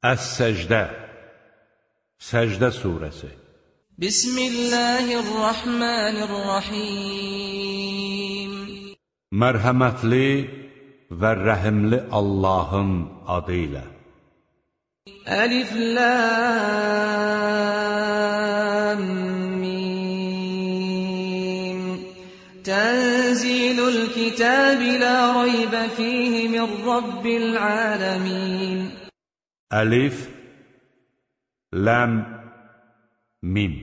Əs-Səcdə Səcdə surəsi Bismillahirrahmanirrahim Mərhəmətli və rəhimli Allahın adı ilə Əlif Lam Mim Tənzilul kitabi la raybə fihi min Rabbil aləmin Əlif Ləm Mim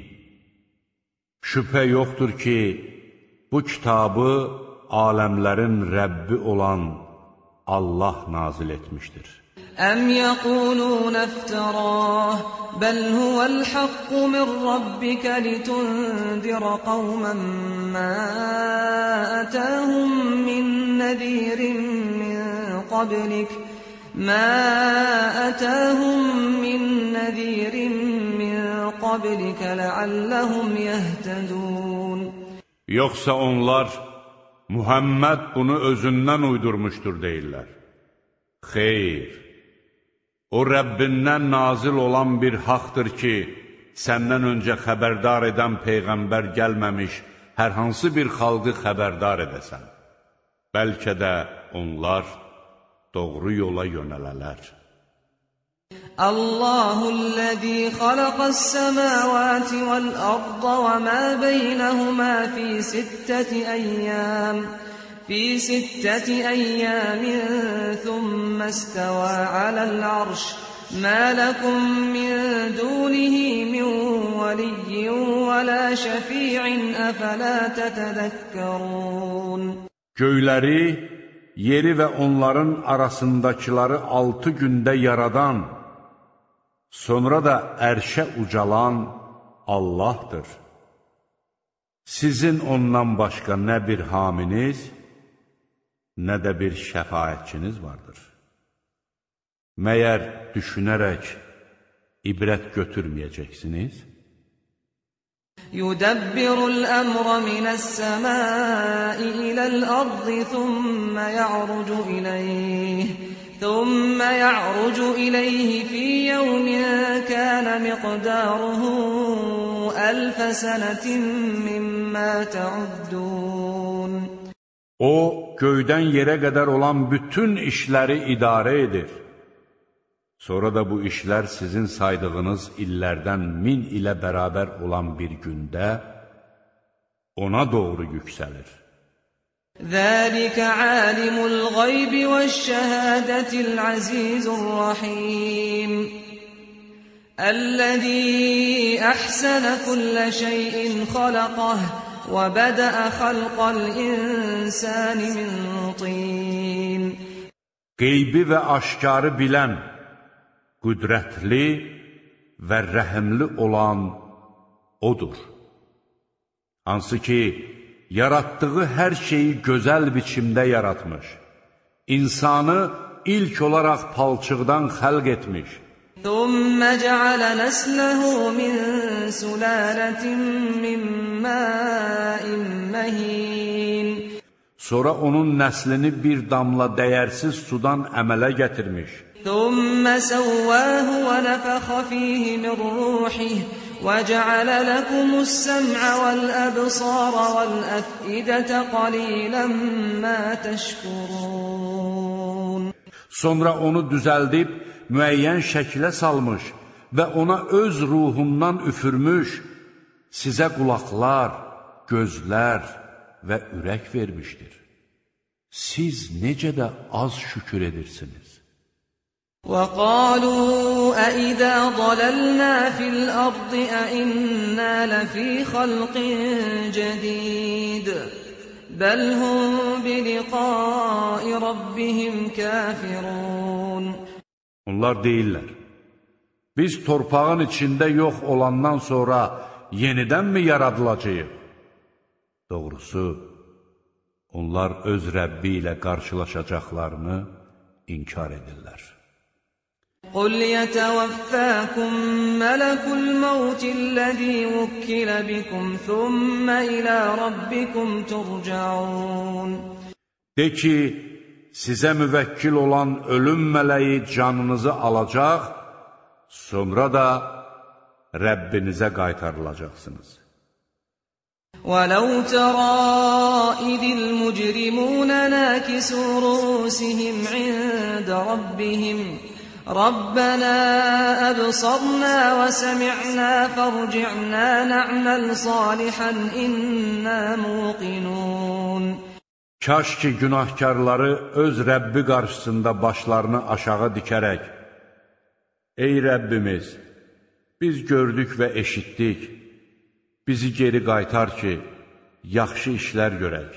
Şübhə yoxdur ki, bu kitabı aləmlərin Rəbbi olan Allah nazil etmişdir. Əm yəqulunə iftirah, bəl huvəl haqqu min Rabbikə litundirə qavmən mə ətəhum min nəzirin min qablik ما أتاهم من نذير من قبلك لعلهم يهتدون Yoxsa onlar Muhammed bunu özündən uydurmuşdur deyirlər. Xeyr, o Rəbbindən nazil olan bir haqdır ki, səndən öncə xəbərdar edən Peyğəmbər gəlməmiş hər hansı bir xalqı xəbərdar edəsən. Bəlkə də onlar doğru yola yönələlər. Allahullezî xalaqas-semâvâti vel-arda ve mâ beynehumâ fî sitteti eyyâmin thumma istevâ alel-arş mâ lekum min dûnihi min veliyyin ve lâ şefî'in efelâ tetedekkerûn Göyləri, yeri və onların arasındakiları 6 gündə yaradan, sonra da ərşə ucalan Allahdır. Sizin ondan başqa nə bir haminiz, nə də bir şəfaətçiniz vardır. Məyər düşünərək ibrət götürməyəcəksiniz? يدبر الأمر من السماء إلى الأرض ثم يعرج إليه في يوم كان مقداره 1000 سنة مما تعدون O, göydən yerə qədər olan bütün işləri idarə edir. Sonra da bu işlər sizin saydığınız illərdən 1000 ilə bərabər olan bir gündə ona doğru yüksəlir. Zəlikə alimul qaybi və şəhədətil azizur rahim Əl-ləzî əhsənə kullə şeyin xalaqah və bədəə xalqal insani min tin Qeybi və aşkarı bilən qüdrətli və rəhimli olan odur. Hansı ki, yaratdığı hər şeyi gözəl biçimdə yaratmış, insanı ilk olaraq palçıqdan xəlq etmiş. ثُمَّ جَعَلَ نَسْلَهُ مِنْ سُلَالَةٍ مِّن مَّاءٍ مَّهِينٍ Sonra onun nəslini bir damla dəyərsiz sudan əmələ gətirmiş. ثم سواه ونفخ فيه من روحه وجعل لكم السمع والأبصار والأفئدة قليلا ما تشكرون Sonra onu düzəldib müəyyən şəklə salmış və ona öz ruhundan üfürmüş, sizə qulaqlar, gözlər və ürək vermişdir. Siz necə də az şükür edirsiniz. وَقَالُوا أَإِذَا ضَلَلْنَا فِي الْأَرْضِ أَإِنَّا لَفِي خَلْقٍ جَدِيدٍ بَلْ هُمْ بِلِقَاءِ رَبِّهِمْ كَافِرُونَ Onlar deyirlər, biz torpağın içində yox olandan sonra yenidənmi yaradılacağıq? Doğrusu, onlar öz Rəbbi ilə qarşılaşacaqlarını inkar edirlər. قُلْ يَتَوَفَّاكُمْ مَلَكُ الْمَوْتِ الَّذِي وُكِّلَ بِكُمْ ثُمَّ إِلَى رَبِّكُمْ تُرْجَعُونَ De ki, sizə müvəkkil olan ölüm mələyi canınızı alacaq sonra da Rəbbinizə qaytarılacaqsınız. وَلَوْ تَرَى إِذِ الْمُجْرِمُونَ نَاكِسُو رُءُوسِهِمْ عِندَ رَبِّهِمْ رَبَّنَا أَبْصَرْنَا وَسَمِعْنَا فَارْجِعْنَا نَعْمَلْ صَالِحًا إِنَّا مُوقِنُونَ. Kaş ki günahkarları öz Rəbbi qarşısında başlarını aşağı dikərək, ey Rəbbimiz, biz gördük və eşitdik, bizi geri qaytar ki, yaxşı işlər görək.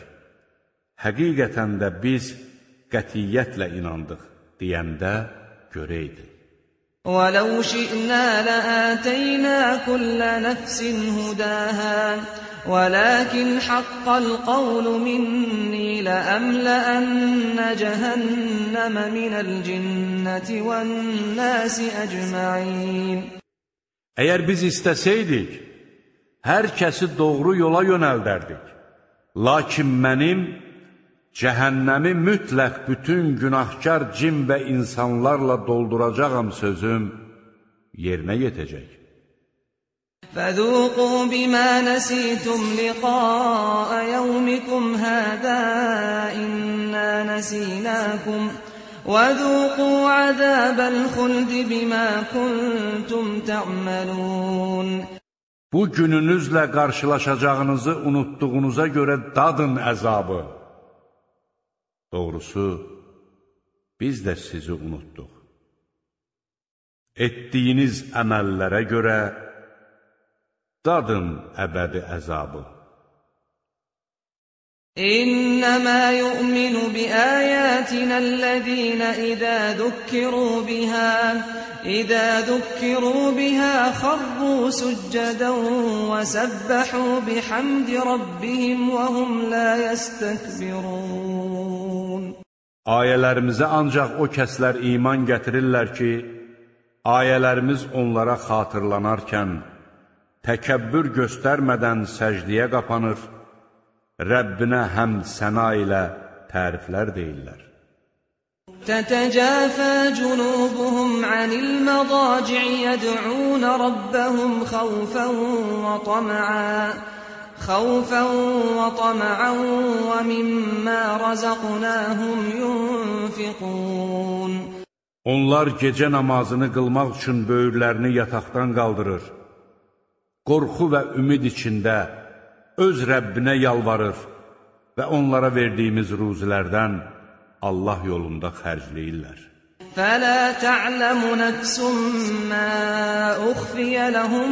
Həqiqətən də biz qətiyyətlə inandıq, deyəndə görəydi. وَلَوْ شِئْنَا لَآتَيْنَا كُلَّ نَفْسٍ هُدَاهَا وَلَكِنْ حَقَّ الْقَوْلُ مِنِّي لَأَمْلَأَنَّ جَهَنَّمَ مِنَ الْجِنَّةِ وَالنَّاسِ أَجْمَعِينَ. Əgər biz istəsəydik, hər kəsi doğru yola yönəldərdik. Lakin mənim cəhənnəmi mütləq bütün günahkar cin və insanlarla dolduracağam sözüm yerinə yetəcək. فَذُوقُوا بِمَا نَسِيتُمْ لِقَاءَ يَوْمِكُمْ هَذَا إِنَّا نَسِينَاكُمْ وَذُوقُوا عَذَابَ الْخُلْدِ بِمَا كُنْتُمْ تَعْمَلُونَ. Bu gününüzlə qarşılaşacağınızı unutduğunuza görə dadın əzabı. Doğrusu, biz də sizi unutduq. Etdiyiniz əməllərə görə dadın əbədi əzabı. إِنَّمَا يُؤْمِنُ بِآيَاتِنَا الَّذِينَ إِذَا ذُكِّرُوا بِهَا خَرُّوا سُجَّدًا وَسَبَّحُوا بِحَمْدِ رَبِّهِمْ وَهُمْ لَا يَسْتَكْبِرُونَ. Ayələrimizə ancaq o kəslər iman gətirirlər ki, ayələrimiz onlara xatırlanarkən, təkəbbür göstərmədən səcdiyə qapanır, Rəbbinə həmd səna ilə təriflər deyirlər. تَتَجَافَى جُنُوبُهُمْ عَنِ الْمَضَاجِعِ يَدْعُونَ رَبَّهُمْ خَوْفًا وَطَمَعًا وَمِمَّا رَزَقْنَاهُمْ يُنْفِقُونَ. Onlar gecə namazını qılmaq üçün böyürlərini yataqdan qaldırır, qorxu və ümid içində öz Rəbbinə yalvarır və onlara verdiyimiz ruzilərdən Allah yolunda xərcləyirlər. فَلَا تَعْلَمُ نَفْسٌ مَّا أُخْفِيَ لَهُم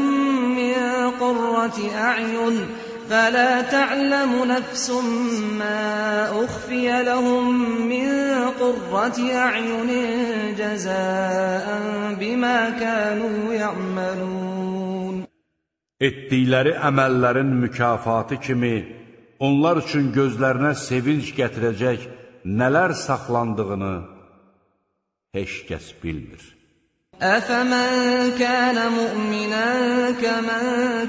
مِّن قُرَّةِ أَعْيُنٍ جَزَاءً بِمَا كَانُوا يَعْمَلُونَ. Etdikləri əməllərin mükafatı kimi onlar üçün gözlərinə sevinç gətirəcək nələr saxlandığını heç kəs bilmir. أَفَمَنْ كَانَ مُؤْمِنًا كَمَنْ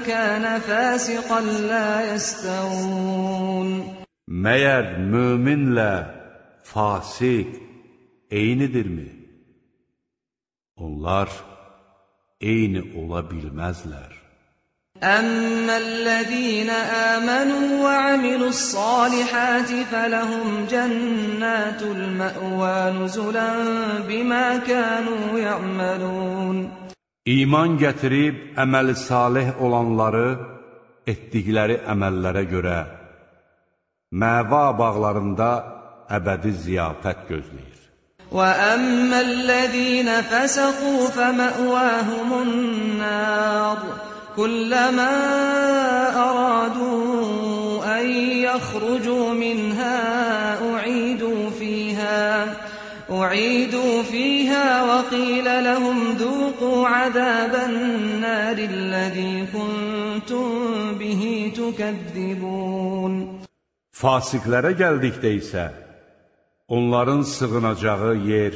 كَانَ فَاسِقًا لَا يَسْتَوُونَ. Məyər möminlə fasik eynidirmi? Onlar eyni ola bilməzlər. أَمَّا الَّذِينَ آمَنُوا وَعَمِلُوا الصَّالِحَاتِ فَلَهُمْ جَنَّاتُ الْمَأْوَى نُزُلًا بِمَا كَانُوا يَعْمَلُونَ. İman gətirib əməli salih olanları etdikləri əməllərə görə məva bağlarında əbədi ziyafət gözləyir. وَأَمَّا الَّذِينَ فَسَقُوا فَمَأْوَاهُمُ النَّارُ كُلَّمَا أَرَادُوا أَن يَخْرُجُوا مِنْهَا أُعِيدُوا فِيهَا وَقِيلَ لَهُمْ ذُوقُوا عَذَابَ النَّارِ الَّذِي كُنتُم بِهِ تُكَذِّبُونَ. Fasiqlərə gəldikdə isə onların sığınacağı yer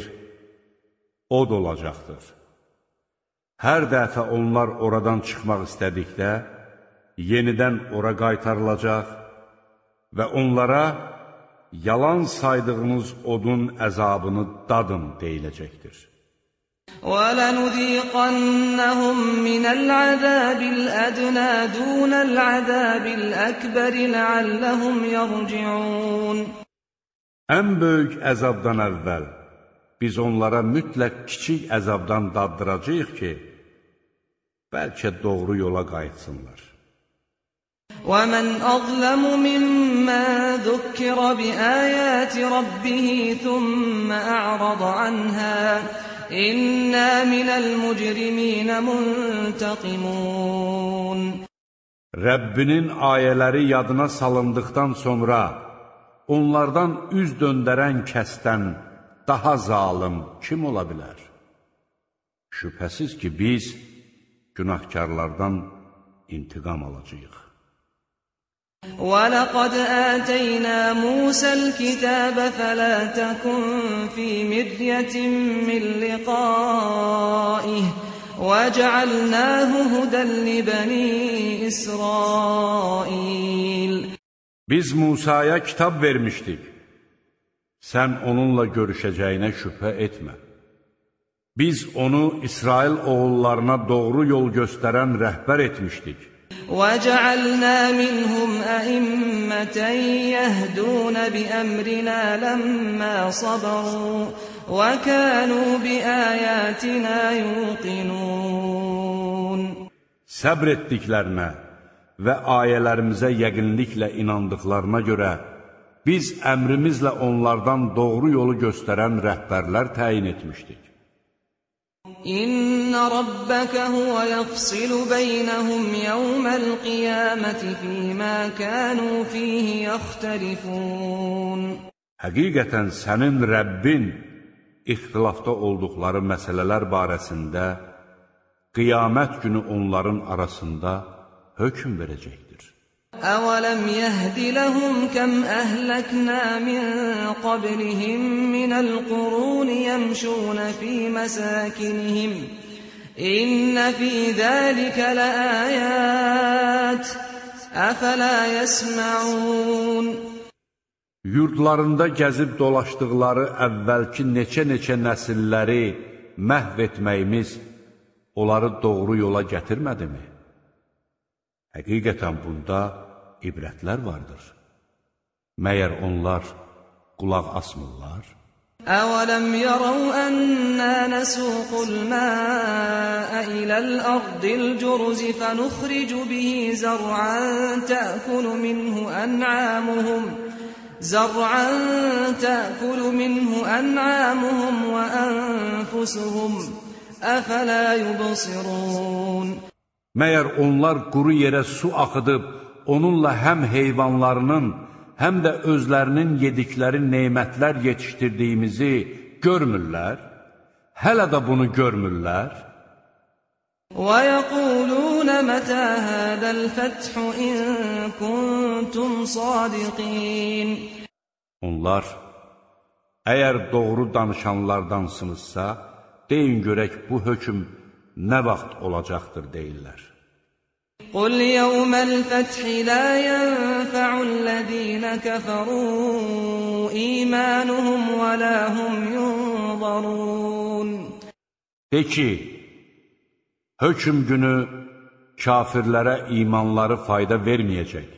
od olacaqdır. Hər dəfə onlar oradan çıxmaq istədikdə, yenidən ora qaytarılacaq və onlara yalan saydığınız odun əzabını dadın deyiləcəkdir. وَلَنُذِيقَنَّهُم مِّنَ الْعَذَابِ الْأَدْنَىٰ دُونَ الْعَذَابِ الْأَكْبَرِ لَعَلَّهُمْ يَرْجِعُونَ Ən böyük əzabdan əvvəl biz onlara mütləq kiçik əzabdan daddıracağıq ki, bəlkə doğru yola qayıtsınlar. وَمَنْ أَظْلَمُ مِمَّنْ ذُكِّرَ بِآيَاتِ رَبِّهِ ثُمَّ أَعْرَضَ عَنْهَا إِنَّا مِنَ الْمُجْرِمِينَ مُنْتَقِمُونَ Rəbbinin ayələri yadına salındıqdan sonra onlardan üz döndərən kəsdən daha zalım kim ola bilər? Şübhəsiz ki, biz günahkarlardan intiqam alacağıq. وَلَقَدْ آتَيْنَا مُوسَى الْكِتَابَ فَلَا تَكُنْ فِي مِرْيَةٍ مِّن لِّقَائِهِ وَجَعَلْنَاهُ هُدًى لِّبَنِي إِسْرَائِيلَ Biz Musaya kitab vermişdik. Sən onunla görüşəcəyinə şübhə etmə. Biz onu İsrail oğullarına doğru yol göstərən rəhbər etmişdik. وَجَعَلْنَا مِنْهُمْ أَئِمَّةً يَهْدُونَ بِأَمْرِنَا لَمَّا صَبَرُوا وَكَانُوا بِآيَاتِنَا يُوقِنُونَ Səbr etdiklərinə və ayələrimizə yəqinliklə inandıqlarına görə biz əmrimizlə onlardan doğru yolu göstərən rəhbərlər təyin etmişdik. İnna rabbaka huwa yafsilu baynahum yawmal qiyamati fima kanu fihi yaxtalifun. Həqiqətən sənin Rəbbin ixtilafda olduqları məsələlər barəsində qiyamət günü onların arasında hökm verəcəkdir. أَوَلَمْ يَهْدِ لَهُمْ كَمْ أَهْلَكْنَا مِنْ قَبْلِهِمْ مِنَ الْقُرُونِ يَمْشُونَ فِي مَسَاكِنِهِمْ إِنَّ فِي ذَلِكَ لَآيَاتٍ أَفَلَا يَسْمَعُونَ Yurdlarında gəzib dolaşdıqları əvvəlki neçə nəsilləri məhv etməyimiz onları doğru yola gətirmədimi? Həqiqətən bunda ibrətlər vardır. Məyər onlar qulaq asmırlar? أَوَلَمْ يَرَوْا أَنَّا نَسُوقُ الْمَاءَ إِلَى الْأَرْضِ الْجُرُزِ فَنُخْرِجُ بِهِ زَرْعًا تَأْكُلُ مِنْهُ أَنْعَامُهُمْ وَأَنْفُسُهُمْ أَفَلَا يُبْصِرُونَ Məyər onlar quru yerə su axıdıb, onunla həm heyvanlarının, həm də özlərinin yedikləri nemətlər yetişdirdiyimizi görmürlər? Hələ də bunu görmürlər? وَيَقُولُونَ مَتَى هَذَا الْفَتْحُ إِن كُنتُمْ صَادِقِينَ Onlar, əgər doğru danışanlardansınızsa, deyin görək bu hökm nə vaxt olacaqdır deyirlər. قُلْ يَوْمَ الْفَتْحِ لَا يَنْفَعُ الَّذِينَ كَفَرُوا إِيمَانُهُمْ وَلَا هُمْ يُنْظَرُونَ De ki, hökm günü kafirlərə imanları fayda verməyəcək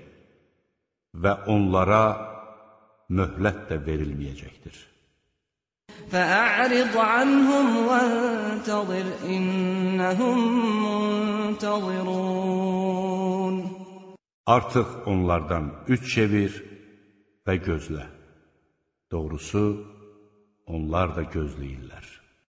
və onlara möhlət də verilməyəcəkdir. فَأَعْرِضْ عَنْهُمْ وَانْتَظِرْ إِنَّهُمْ مُنْتَظِرُونَ Artıq onlardan üç çevir və gözlə. Doğrusu, onlar da gözləyirlər.